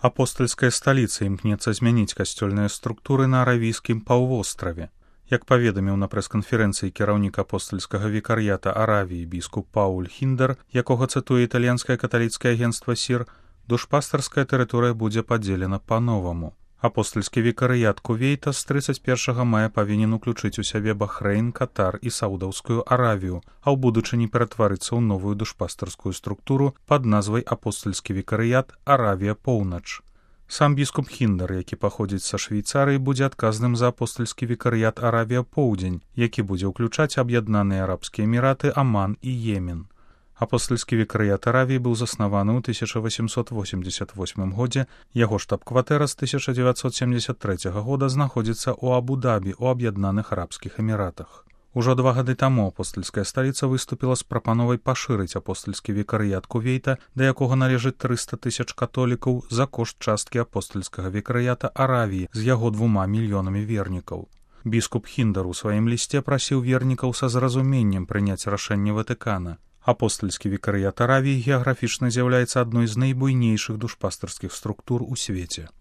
Апостальская сталіца імкнецца змяніць касцёльныя структуры на аравійскім паўвостраве. Як паведаміў на прэс-канферэнцыі кіраўнік апостальскага вікар'ята Аравіі біскуп Пауль Хіндер, якога цытуе італьянскае каталіцкае агенцтва СІР, душпастарская тэрыторыя будзе падзелена па-новаму. Апостальскі вікарыят Кувейта з 31 мая павінен уключыць у сябе Бахрэйн, Катар і Саудаўскую Аравію, а ў будучыні ператварыцца ў новую душпастарскую структуру пад назвай апостальскі вікарыят Аравія-Поўнач. Сам біскуп Хіндер, які паходзіць са Швейцарыі, будзе адказным за апостальскі вікарыят Аравія-Поўдзень, які будзе ўключаць аб'яднаныя арабскія эміраты, Аман і Йемен. Апостальскі вікарыят Аравіі быў заснаваны ў 1888 годзе, яго штаб-кватэра з 1973 года знаходзіцца ў Абу-Дабі ў аб'яднаных арабскіх эміратах. Ужо 2 гады таму апостальская сталіца выступіла з прапановай пашырыць апостальскі вікарыят Кувейта, да якога належыць 300 000 католікаў за кошт часткі апостальскага вікарыята Аравіі з яго 2 мільёнамі вернікаў. Біскуп Хіндер у сваім лісце прасіў вернікаў са зразуменнем прыняць рашэнне Ватыкана. Апостальскі вікарыят Аравіі геаграфічна з'яўляецца адной з найбуйнейшых душпастарскіх структур у свеце.